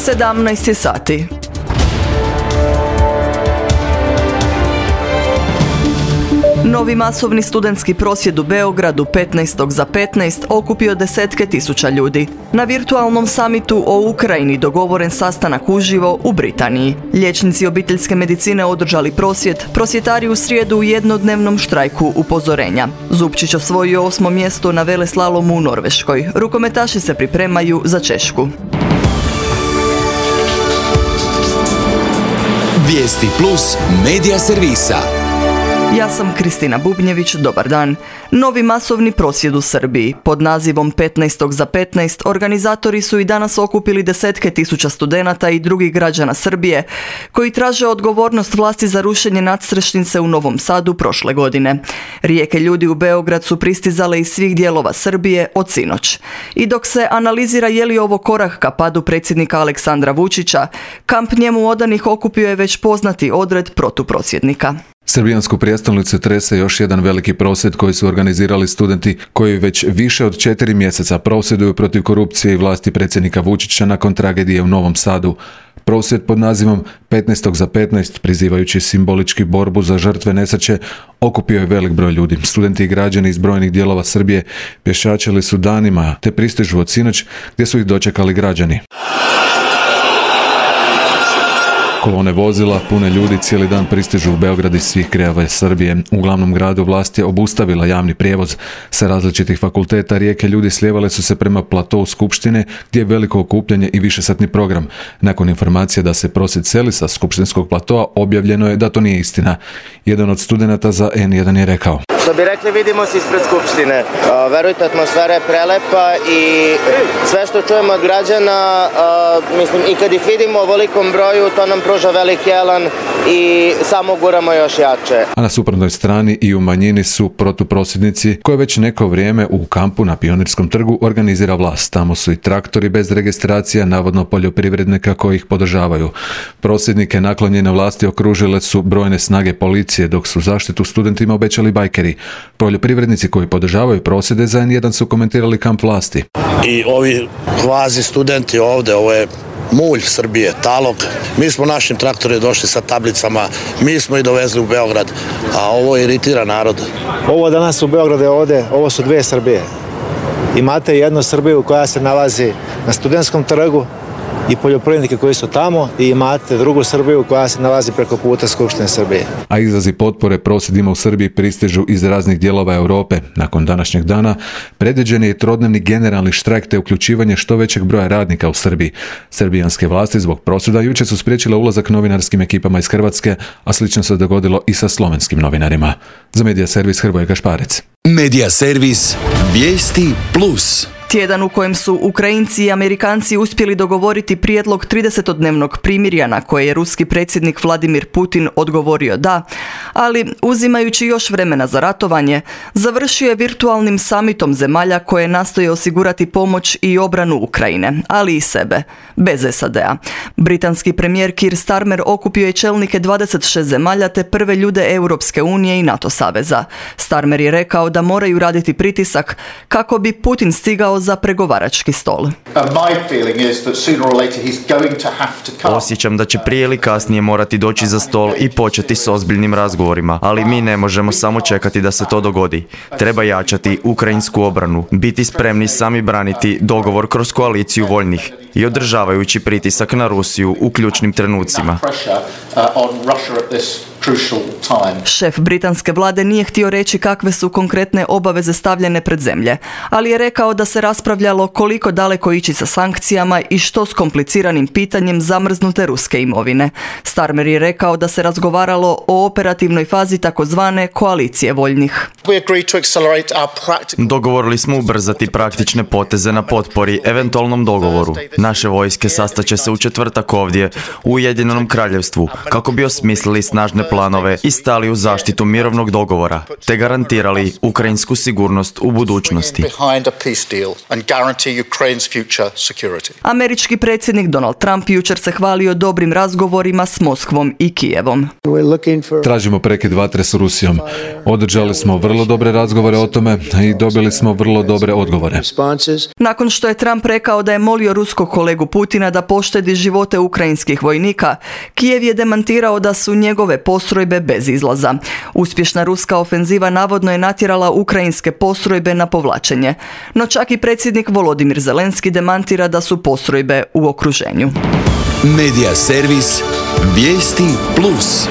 17 sati. Novi masovni studentski prosvjed u Beogradu 15. za 15 okupio desetke tisuća ljudi. Na virtualnom samitu o Ukrajini dogovoren sastanak uživo u Britaniji. Liječnici obiteljske medicine održali prosvjed, prosvjetari u srijedu u jednodnevnom štrajku upozorenja. Zupčić osvojio 8. mjesto na veleslalomu u Norveškoj. Rukometaši se pripremaju za Češku. Vijesti plus medija servisa. Ja sam Kristina Bubnjević, dobar dan. Novi masovni prosvjed u Srbiji. Pod nazivom 15. za 15 organizatori su i danas okupili desetke tisuća studenata i drugih građana Srbije koji traže odgovornost vlasti za rušenje nadstrešnice u Novom Sadu prošle godine. Rijeke ljudi u Beograd su pristizale iz svih dijelova Srbije od sinoć. I dok se analizira je li ovo korak ka padu predsjednika Aleksandra Vučića, kamp njemu odanih okupio je već poznati odred protuprosvjednika. Srbijansku prijestolnicu trese još jedan veliki prosvjed koji su organizirali studenti koji već više od 4 mjeseca prosvjeduju protiv korupcije i vlasti predsjednika Vučića nakon tragedije u Novom Sadu. Prosvjed pod nazivom 15. za 15, prizivajući simbolički borbu za žrtve nesreće, okupio je velik broj ljudi. Studenti i građani iz brojnih dijelova Srbije pješačili su danima te pristižu od sinoć gdje su ih dočekali građani. Kolone vozila, pune ljudi, cijeli dan pristižu u Beograd iz svih krajeva Srbije. U glavnom gradu vlast je obustavila javni prijevoz. Sa različitih fakulteta rijeke ljudi slijevale su se prema platou Skupštine, gdje je veliko okupljanje i višesatni program. Nakon informacije da se prosvjed seli sa skupštinskog platoa, objavljeno je da to nije istina. Jedan od studenata za N1 je rekao: Što bi rekli, vidimo se ispred Skupštine. Verujte, atmosfera je prelepa i sve što čujemo od građana, i kad ih vidimo u ovolikom broju, to nam pruža veliki elan i samo guramo još jače. A na suprotnoj strani i u manjini su protuprosvjednici koje već neko vrijeme u kampu na Pionirskom trgu organizira vlast. Tamo su i traktori bez registracija, navodno poljoprivrednika koji ih podržavaju. Prosvjednike naklonjene vlasti okružile su brojne snage policije, dok su zaštitu studentima obećali bajkeri. Poljoprivrednici koji podržavaju prosvjede za N1 su komentirali kamp vlasti. I ovi kvazi studenti ovdje, ovo je mulj Srbije, talog. Mi smo našim traktorima došli sa tablicama, mi smo ih dovezli u Beograd, a ovo iritira narod. Ovo danas u Beogradu je ovdje, ovo su dvije Srbije. Imate jednu Srbiju koja se nalazi na Studentskom trgu i poljoprivrednike koji su tamo, i imate drugu Srbiju koja se nalazi preko puta Skupštine Srbije. A izrazi potpore prosvjedima u Srbiji pristižu iz raznih dijelova Europe. Nakon današnjeg dana predviđen je trodnevni generalni štrajk te uključivanje što većeg broja radnika u Srbiji. Srbijanske vlasti zbog prosvjeda jučer su spriječile ulazak novinarskim ekipama iz Hrvatske, a slično se dogodilo i sa slovenskim novinarima. Za Medija servis Hrvoje Gašparec. Medija servis Vijesti plus. Tjedan u kojem su Ukrajinci i Amerikanci uspjeli dogovoriti prijedlog 30-dnevnog primirja na koje je ruski predsjednik Vladimir Putin odgovorio da, ali uzimajući još vremena za ratovanje, završio je virtualnim samitom zemalja koje nastoje osigurati pomoć i obranu Ukrajine, ali i sebe, bez SAD-a. Britanski premijer Keir Starmer okupio je čelnike 26 zemalja te prve ljude Europske unije i NATO saveza. Starmer je rekao da moraju raditi pritisak kako bi Putin stigao za pregovarački stol. Osjećam da će prije ili kasnije morati doći za stol i početi s ozbiljnim razgovorima, ali mi ne možemo samo čekati da se to dogodi. Treba jačati ukrajinsku obranu, biti spremni sami braniti dogovor kroz koaliciju voljnih i održavajući pritisak na Rusiju u ključnim trenucima. Šef britanske vlade nije htio reći kakve su konkretne obaveze stavljene pred zemlje, ali je rekao da se raspravljalo koliko daleko ići sa sankcijama i što s kompliciranim pitanjem zamrznute ruske imovine. Starmer je rekao da se razgovaralo o operativnoj fazi takozvane koalicije voljnih. Dogovorili smo ubrzati praktične poteze na potpori eventualnom dogovoru. Naše vojske sastaće se u četvrtak ovdje u Ujedinjenom Kraljevstvu kako bi osmislili snažne planove i stali u zaštitu mirovnog dogovora, te garantirali ukrajinsku sigurnost u budućnosti. Američki predsjednik Donald Trump jučer se hvalio dobrim razgovorima s Moskvom i Kijevom. Tražimo prekid vatre s Rusijom. Održali smo vrlo dobre razgovore o tome i dobili smo vrlo dobre odgovore. Nakon što je Trump rekao da je molio ruskog kolegu Putina da poštedi živote ukrajinskih vojnika, Kijev je demantirao da su njegove postrojbe bez izlaza. Uspješna ruska ofenziva navodno je natjerala ukrajinske postrojbe na povlačenje. No čak i predsjednik Volodimir Zelenski demantira da su postrojbe u okruženju. Medija servis Vijesti Plus.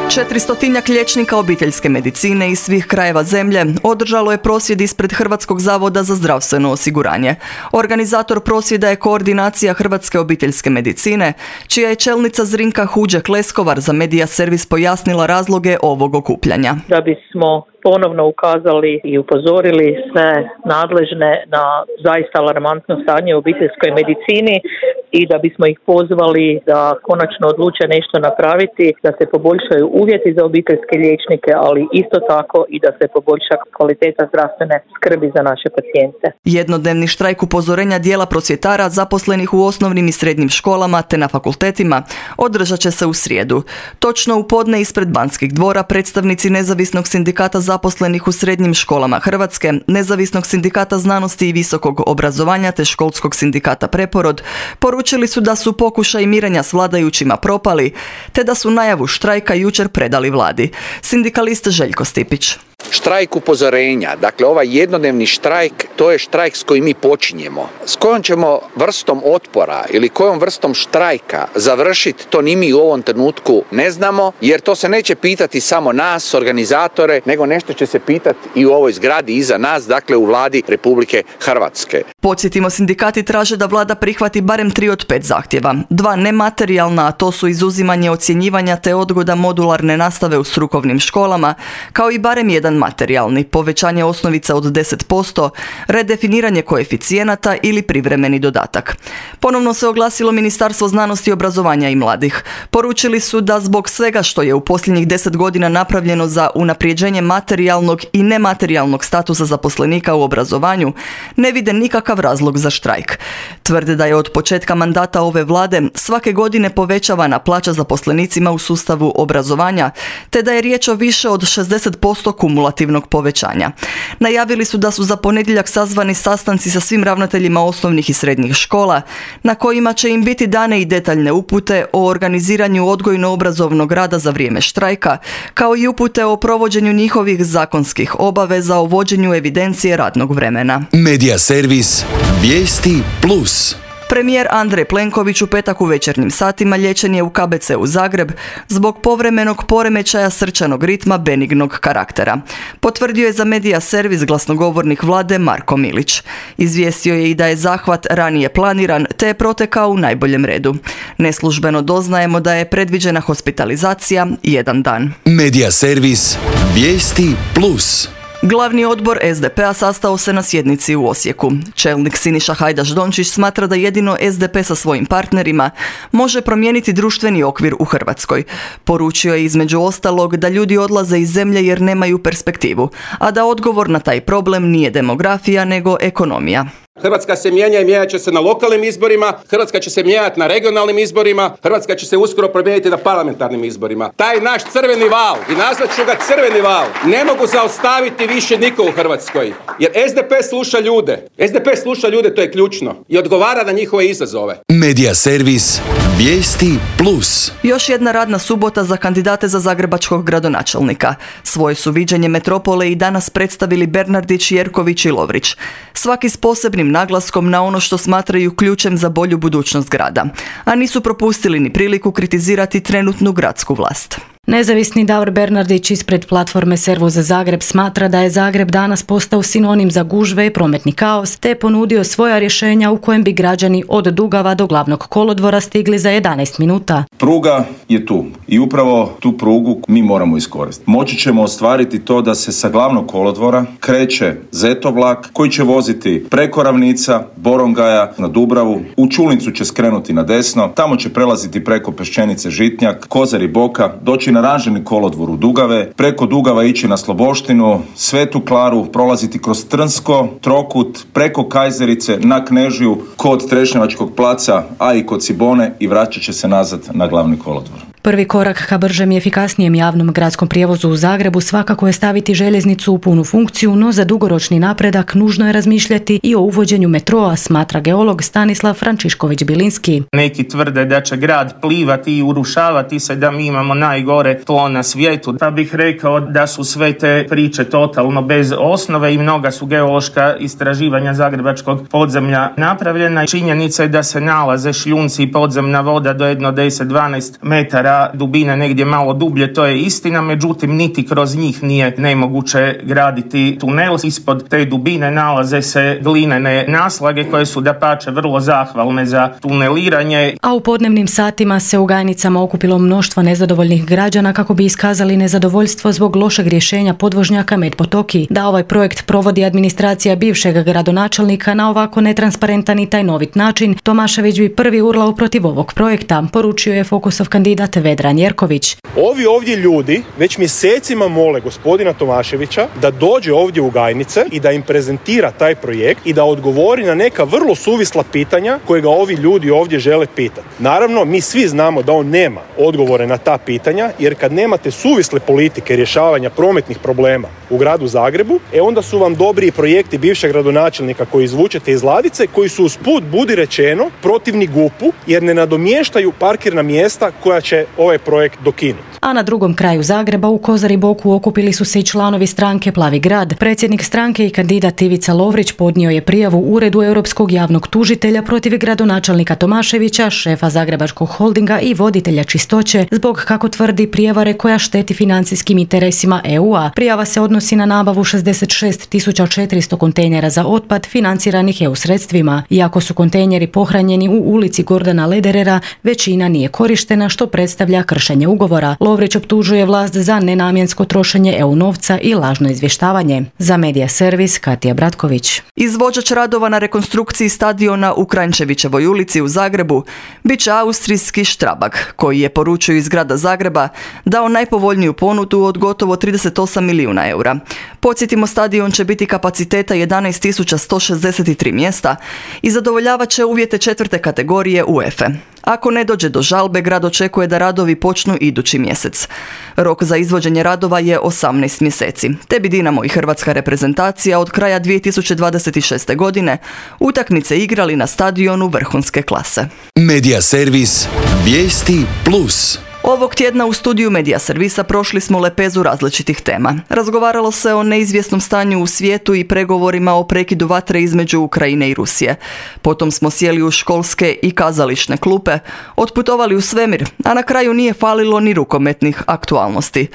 400 liječnika obiteljske medicine iz svih krajeva zemlje održalo je prosvjed ispred Hrvatskog zavoda za zdravstveno osiguranje. Organizator prosvjeda je Koordinacija Hrvatske obiteljske medicine, čija je čelnica Zrinka Huđak-Leskovar za Medija servis pojasnila razloge ovog okupljanja. Da bismo ponovno ukazali i upozorili sve nadležne na zaista alarmantno stanje u obiteljskoj medicini i da bismo ih pozvali da konačno odluče nešto napraviti, da se poboljšaju uvjeti za obiteljske liječnike, ali isto tako i da se poboljša kvaliteta zdravstvene skrbi za naše pacijente. Jednodnevni štrajk upozorenja dijela prosvjetara zaposlenih u osnovnim i srednjim školama te na fakultetima održat će se u srijedu. Točno u podne ispred Banskih dvora predstavnici Nezavisnog sindikata zaposlenih u srednjim školama Hrvatske, Nezavisnog sindikata znanosti i visokog obrazovanja te Školskog sindikata Preporod poručili su da su pokušaj mirenja s vladajućima propali, te da su najavu štrajka jučer predali vladi. Sindikalist Željko Stipić. Štrajk upozorenja, dakle ovaj jednodnevni štrajk, to je štrajk s kojim mi počinjemo. S kojom ćemo vrstom otpora ili kojom vrstom štrajka završiti, to ni mi u ovom trenutku ne znamo, jer to se neće pitati samo nas, organizatore, nego nešto će se pitati i u ovoj zgradi iza nas, dakle u vladi Republike Hrvatske. Podsjetimo, sindikati traže da vlada prihvati barem 3 od 5 zahtjeva. 2 nematerijalna, a to su izuzimanje ocjenjivanja te odgoda modularne nastave u strukovnim školama, kao i barem 1 materijalni, povećanje osnovice od 10%, redefiniranje koeficijenata ili privremeni dodatak. Ponovno se oglasilo Ministarstvo znanosti, obrazovanja i mladih. Poručili su da zbog svega što je u posljednjih 10 godina napravljeno za unaprijeđenje materijalnog i nematerijalnog statusa zaposlenika u obrazovanju, ne vide nikakav razlog za štrajk. Tvrde da je od početka mandata ove vlade svake godine povećavana plaća zaposlenicima u sustavu obrazovanja, te da je riječ o više od 60% kumulativnog povećanja. Najavili su da su za ponedjeljak sazvani sastanci sa svim ravnateljima osnovnih i srednjih škola, na kojima će im biti dane i detaljne upute o organiziranju odgojno-obrazovnog rada za vrijeme štrajka, kao i upute o provođenju njihovih zakonskih obaveza o vođenju evidencije radnog vremena. Medija servis Vijesti Plus. Premijer Andrej Plenković u petak u večernjim satima liječen je u KBC-u Zagreb zbog povremenog poremećaja srčanog ritma benignog karaktera. Potvrdio je za Medija servis glasnogovornik vlade Marko Milić. Izvijestio je i da je zahvat ranije planiran te je protekao u najboljem redu. Neslužbeno doznajemo da je predviđena hospitalizacija 1 dan. Medija servis Vijesti Plus. Glavni odbor SDP-a sastao se na sjednici u Osijeku. Čelnik Siniša Hajdaš-Dončić smatra da jedino SDP sa svojim partnerima može promijeniti društveni okvir u Hrvatskoj. Poručio je između ostalog da ljudi odlaze iz zemlje jer nemaju perspektivu, a da odgovor na taj problem nije demografija nego ekonomija. Hrvatska se mijenja i mijenjat će se na lokalnim izborima, Hrvatska će se mijenjati na regionalnim izborima, Hrvatska će se uskoro promijeniti na parlamentarnim izborima. Taj naš crveni val, i nazvat ću ga crveni val, ne mogu zaustaviti više niko u Hrvatskoj. Jer SDP sluša ljude. SDP sluša ljude, to je ključno. I odgovara na njihove izazove. Medija servis Vijesti Plus. Još jedna radna subota za kandidate za zagrebačkog gradonačelnika. Svoje su viđenje metropole i danas predstavili Bernardić, Jerković i Lovrić. Svaki s posebnim naglaskom na ono što smatraju ključem za bolju budućnost grada. A nisu propustili ni priliku kritizirati trenutnu gradsku vlast. Nezavisni Davor Bernardić ispred platforme Servo za Zagreb smatra da je Zagreb danas postao sinonim za gužve i prometni kaos, te je ponudio svoja rješenja u kojem bi građani od Dugava do glavnog kolodvora stigli za 11 minuta. Pruga je tu i upravo tu prugu mi moramo iskoristiti. Moći ćemo ostvariti to da se sa glavnog kolodvora kreće Zeto vlak koji će voziti preko Ravnica, Borongaja na Dubravu, u Čulnicu će skrenuti na desno, tamo će prelaziti preko Peščenice Žitnjak, Kozari Boka, doći na ranžirni kolodvor u Dugave, preko Dugava ići na Sloboštinu, Svetu Klaru, prolaziti kroz Trnsko, Trokut, preko Kajzerice, na Knežiju, kod Trešnjevačkog placa, a i kod Cibone i vraćat će se nazad na glavni kolodvor. Prvi korak ka bržem i efikasnijem javnom gradskom prijevozu u Zagrebu svakako je staviti željeznicu u punu funkciju, no za dugoročni napredak nužno je razmišljati i o uvođenju metroa, smatra geolog Stanislav Frančišković-Bilinski. Neki tvrde da će grad plivati i urušavati se, da mi imamo najgore tlo na svijetu. Pa bih rekao da su sve te priče totalno bez osnove i mnoga su geološka istraživanja zagrebačkog podzemlja napravljena. Činjenica je da se nalaze šljunci i podzemna voda do 10-12 metara dubine, negdje malo dublje, to je istina, međutim niti kroz njih nije nemoguće graditi tunel. Ispod te dubine nalaze se glinene naslage koje su dapače vrlo zahvalne za tuneliranje. A u podnevnim satima se u Gajnicama okupilo mnoštvo nezadovoljnih građana kako bi iskazali nezadovoljstvo zbog lošeg rješenja podvožnjaka Medpotoki. Da ovaj projekt provodi administracija bivšeg gradonačelnika na ovako netransparentan i tajnovit način, Tomašević bi prvi urlao protiv ovog projekta, poručio je Fokusov kandidat Vedran Jerković. Ovi ovdje ljudi već mjesecima mole gospodina Tomaševića da dođe ovdje u Gajnice i da im prezentira taj projekt i da odgovori na neka vrlo suvisla pitanja koje ga ovi ljudi ovdje žele pitati. Naravno, mi svi znamo da on nema odgovore na ta pitanja, jer kad nemate suvisle politike rješavanja prometnih problema u gradu Zagrebu, onda su vam dobri projekti bivšeg gradonačelnika koji izvučete iz ladice, koji su usput, budi rečeno, protivni GUP-u, jer ne nadomještaju parkirna mjesta koja će ovaj projekt dokinuti. A na drugom kraju Zagreba u Kozari Boku okupili su se i članovi stranke Plavi grad. Predsjednik stranke i kandidat Ivica Lovrić podnio je prijavu Uredu Europskog javnog tužitelja protiv gradonačelnika Tomaševića, šefa Zagrebačkog holdinga i voditelja čistoće zbog, kako tvrdi, prijevare koja šteti financijskim interesima EU-a. Prijava se odnosi na nabavu 66.400 kontejnera za otpad financiranih EU sredstvima. Iako su kontejneri pohranjeni u ulici Gordana Lederera, većina nije korištena, što predstavlja kršenje ugovora. Lovrić optužuje vlast za nenamjensko trošenje EU novca i lažno izvještavanje. Za Medija servis Katija Bratković. Izvođač radova na rekonstrukciji stadiona u Kranjčevićevoj ulici u Zagrebu bit će austrijski Strabag, koji je, poručuju iz grada Zagreba, dao najpovoljniju ponudu od gotovo 38 milijuna eura. Podsjetimo, stadion će biti kapaciteta 11.163 mjesta i zadovoljavat će uvjete 4. kategorije UEFA. Ako ne dođe do žalbe, grad očekuje da radovi počnu idući mjesec. Rok za izvođenje radova je 18 mjeseci. Te bi Dinamo i hrvatska reprezentacija od kraja 2026. godine utakmice igrali na stadionu vrhunske klase. Medija servis Vijesti Plus. Ovog tjedna u studiju Medija servisa prošli smo lepezu različitih tema. Razgovaralo se o neizvjesnom stanju u svijetu i pregovorima o prekidu vatre između Ukrajine i Rusije. Potom smo sjeli u školske i kazališne klupe, otputovali u svemir, a na kraju nije falilo ni rukometnih aktualnosti.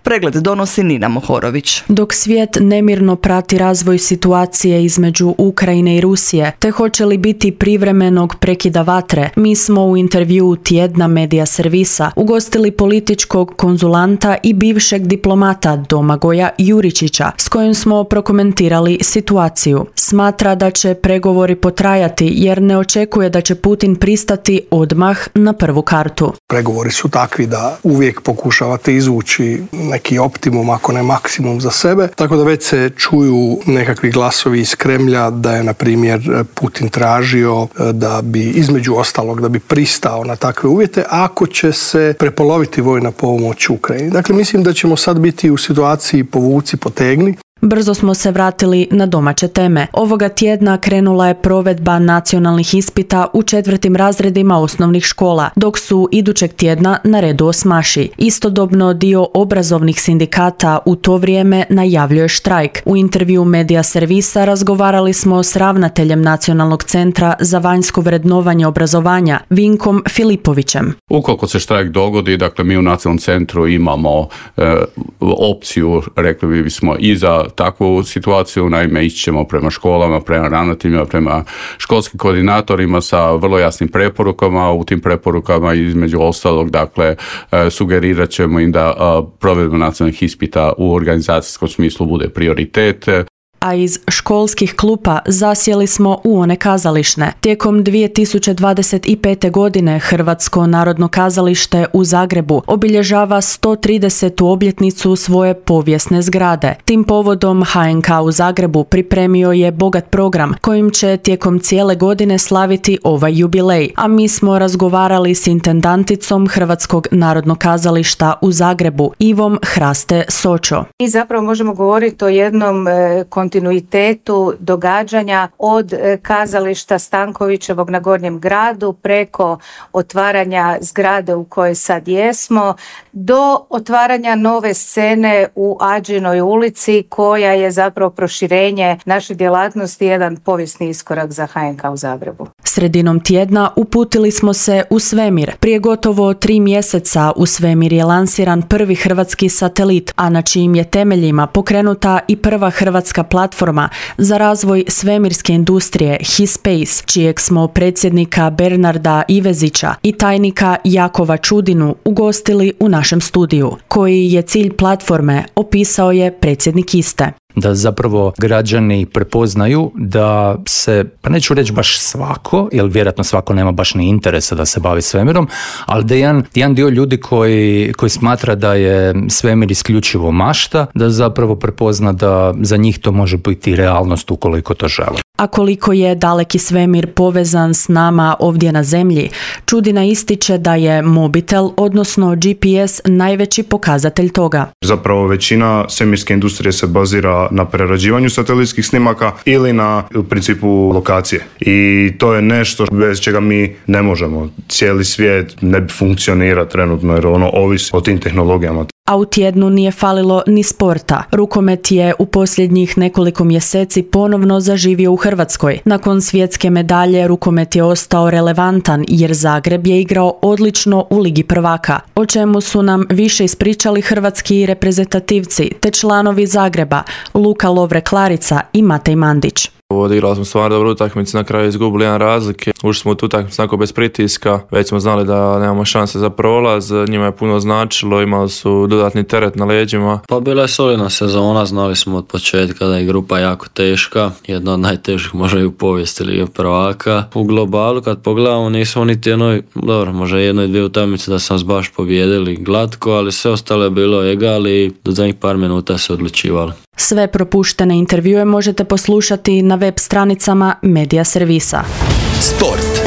Pregled donosi Nina Mohorović. Dok svijet nemirno prati razvoj situacije između Ukrajine i Rusije, te hoće li biti privremenog prekida vatre, mi smo u intervjuu tjedna Medija servisa ugostili političkog konzulanta i bivšeg diplomata Domagoja Juričića, s kojim smo prokomentirali situaciju. Smatra da će pregovori potrajati jer ne očekuje da će Putin pristati odmah na prvu kartu. Pregovori su takvi da uvijek pokušavate izvući neki optimum, ako ne maksimum za sebe. Tako da već se čuju nekakvi glasovi iz Kremlja da je, na primjer, Putin tražio da bi, između ostalog, da bi pristao na takve uvjete ako će se prepoloviti vojna pomoć Ukrajini. Dakle, mislim da ćemo sad biti u situaciji povuci, potegni. Brzo smo se vratili na domaće teme. Ovoga tjedna krenula je provedba nacionalnih ispita u 4. razredima osnovnih škola, dok su idućeg tjedna na redu osmaši. Istodobno dio obrazovnih sindikata u to vrijeme najavljuje štrajk. U intervju Medija servisa razgovarali smo s ravnateljem Nacionalnog centra za vanjsko vrednovanje obrazovanja, Vinkom Filipovićem. Ukoliko se štrajk dogodi, dakle mi u Nacionalnom centru imamo opciju, rekli bismo, i za takvu situaciju, naime ići ćemo prema školama, prema ravnateljima, prema školskim koordinatorima sa vrlo jasnim preporukama. U tim preporukama između ostalog, dakle, sugerirat ćemo im da provedba nacionalnih ispita u organizacijskom smislu bude prioritet. A iz školskih klupa zasjeli smo u one kazališne. Tijekom 2025. godine Hrvatsko narodno kazalište u Zagrebu obilježava 130. obljetnicu svoje povijesne zgrade. Tim povodom HNK u Zagrebu pripremio je bogat program kojim će tijekom cijele godine slaviti ovaj jubilej, a mi smo razgovarali s intendanticom Hrvatskog narodnog kazališta u Zagrebu, Ivom Hraste Sočo. I zapravo možemo govoriti o jednom kontinuitetu događanja od kazališta Stankovićevog na Gornjem gradu preko otvaranja zgrade u kojoj sad jesmo do otvaranja nove scene u Ađinoj ulici koja je zapravo proširenje naše djelatnosti, jedan povijesni iskorak za HNK u Zagrebu. Sredinom tjedna uputili smo se u svemir. Prije gotovo 3 mjeseca u svemir je lansiran prvi hrvatski satelit, a na čijim je temeljima pokrenuta i prva hrvatska platforma za razvoj svemirske industrije HiSpace, čijeg smo predsjednika Bernarda Ivezića i tajnika Jakova Čudinu ugostili u našem studiju. Koji je cilj platforme, opisao je predsjednik iste. Da zapravo građani prepoznaju da se, pa neću reći baš svako, jer vjerojatno svako nema baš ni interesa da se bavi svemirom, ali da jedan dio ljudi koji smatra da je svemir isključivo mašta, da zapravo prepozna da za njih to može biti realnost ukoliko to žele. A koliko je daleki svemir povezan s nama ovdje na zemlji, Čudina ističe da je mobitel, odnosno GPS, najveći pokazatelj toga. Zapravo većina svemirske industrije se bazira na prerađivanju satelitskih snimaka ili na u principu lokacije. I to je nešto bez čega mi ne možemo. Cijeli svijet ne bi funkcionira trenutno jer ono ovisi o tim tehnologijama. A u tjednu nije falilo ni sporta. Rukomet je u posljednjih nekoliko mjeseci ponovno zaživio u Hrvatskoj. Nakon svjetske medalje rukomet je ostao relevantan jer Zagreb je igrao odlično u Ligi prvaka, o čemu su nam više ispričali hrvatski reprezentativci te članovi Zagreba Luka Lovre-Klarica i Matej Mandić. Odigrali smo stvarno dobru utakmicu, na kraju izgubili 1 razlike. Ušli smo u tu utakmicu onako bez pritiska, već smo znali da nemamo šanse za prolaz, njima je puno značilo, imali su dodatni teret na leđima. Pa bila je solidna sezona, znali smo od početka da je grupa jako teška, jedna od najtežih možda i u povijesti Lige prvaka. U globalu kad pogledamo nismo niti možda 1-2 utakmice da sam baš pobijedili glatko, ali sve ostalo je bilo egal i do zadnjih par minuta se odlučivalo. Sve propuštene intervjue možete poslušati na web stranicama Medija servisa. Sport.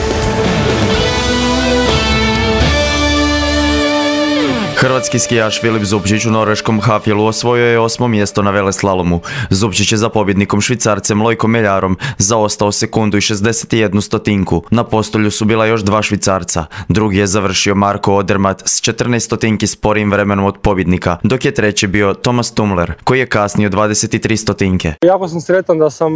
Hrvatski skijaš Filip Zupčić u norveškom Hafjelu osvojio je 8. mjesto na veleslalomu. Zupčić je za pobjednikom Švicarcem Lojkom Meljarom zaostao sekundu i 61 stotinki. Na postolju su bila još 2 Švicarca. Drugi je završio Marko Odermatt s 14 stotinki sporijim vremenom od pobjednika, dok je treći bio Thomas Tumler, koji je kasnio 23 stotinke. Jako sam sretan da sam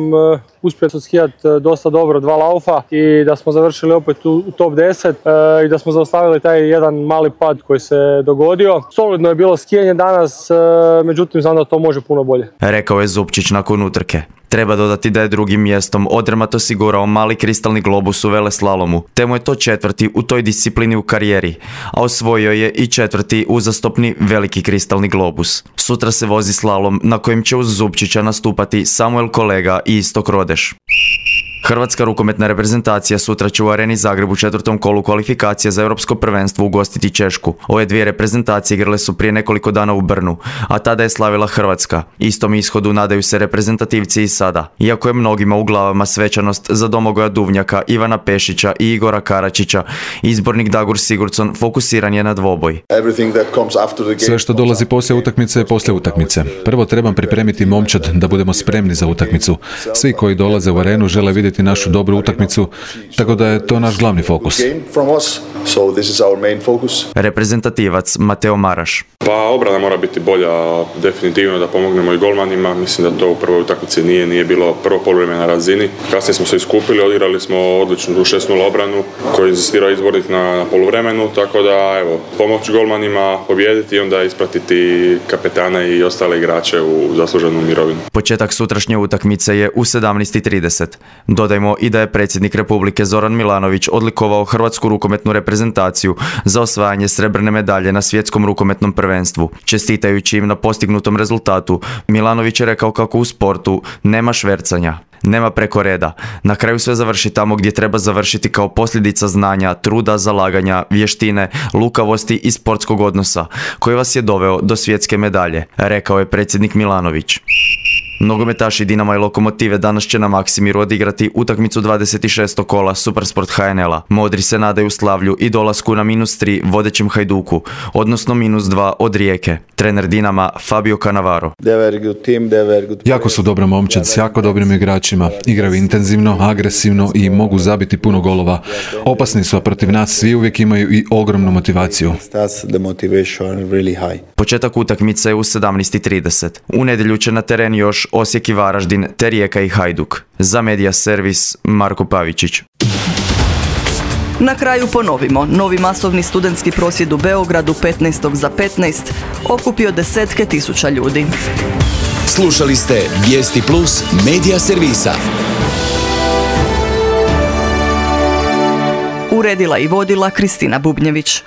uspio skijati dosta dobro 2 laufa i da smo završili opet u top 10 i da smo zaustavili taj jedan mali pad koji se dogodio. Solidno je bilo skijanje danas, međutim znam da to može puno bolje. Rekao je Zupčić nakon utrke. Treba dodati da je drugim mjestom Odermatt osigurao mali kristalni globus u veleslalomu, te mu je to 4. u toj disciplini u karijeri, a osvojio je i 4. uzastopni veliki kristalni globus. Sutra se vozi slalom na kojem će uz Zupčića nastupati Samuel Kolega i Istok Rodeš. Hrvatska rukometna reprezentacija sutra će u Areni Zagreb u 4. kolu kvalifikacija za Europsko prvenstvo ugostiti Češku. Ove dvije reprezentacije igrale su prije nekoliko dana u Brnu, a tada je slavila Hrvatska. Istom ishodu nadaju se reprezentativci i sada. Iako je mnogima u glavama svečanost za Domagoja Duvnjaka, Ivana Pešića i Igora Karačića, izbornik Dagur Sigurdsson fokusiran je na dvoboj. Sve što dolazi poslije utakmice je poslije utakmice. Prvo trebam pripremiti momčad da budemo spremni za utakmicu. Svi koji dolaze u arenu žele vidjeti našu dobru utakmicu, tako da je to naš glavni fokus. Reprezentativac Mateo Maraš. Pa obrana mora biti bolja, definitivno da pomognemo i golmanima. Mislim da to u prvoj utakmici nije bilo prvo poluvrijeme na razini. Kasnije smo se iskupili, odigrali smo odličnu 6-0 obranu koju je inzistirao izbornik na poluvremenu, tako da evo, pomoć golmanima, pobijediti i onda ispratiti kapetana i ostale igrače u zasluženu mirovinu. Početak sutrašnje utakmice je u 17:30. Dodajmo i da je predsjednik Republike Zoran Milanović odlikovao Hrvatsku rukometnu reprezentaciju za osvajanje srebrne medalje na svjetskom rukometnom prvenstvu. Čestitajući im na postignutom rezultatu, Milanović je rekao kako u sportu nema švercanja. Nema preko reda. Na kraju sve završi tamo gdje treba završiti kao posljedica znanja, truda, zalaganja, vještine, lukavosti i sportskog odnosa, koji vas je doveo do svjetske medalje, rekao je predsjednik Milanović. Nogometaši Dinama i Lokomotive danas će na Maksimiru odigrati utakmicu 26. kola Supersport HNL-a. Modri se nadaju slavlju i dolasku na -3 vodećem Hajduku, odnosno -2 od Rijeke. Trener Dinama Fabio Cannavaro. Jako su dobra momčad s jako dobrim igračima. Igraju intenzivno, agresivno i mogu zabiti puno golova. Opasni su, a protiv nas svi uvijek imaju i ogromnu motivaciju. Početak utakmice je u 17:30. U nedjelju će na teren još Osijek i Varaždin, te Rijeka i Hajduk. Za Media Servis Marko Pavičić. Na kraju ponovimo, novi masovni studentski prosvjed u Beogradu 15. za 15 okupio desetke tisuća ljudi. Slušali ste Vijesti Plus Media Servisa. Uredila i vodila Kristina Bubnjević.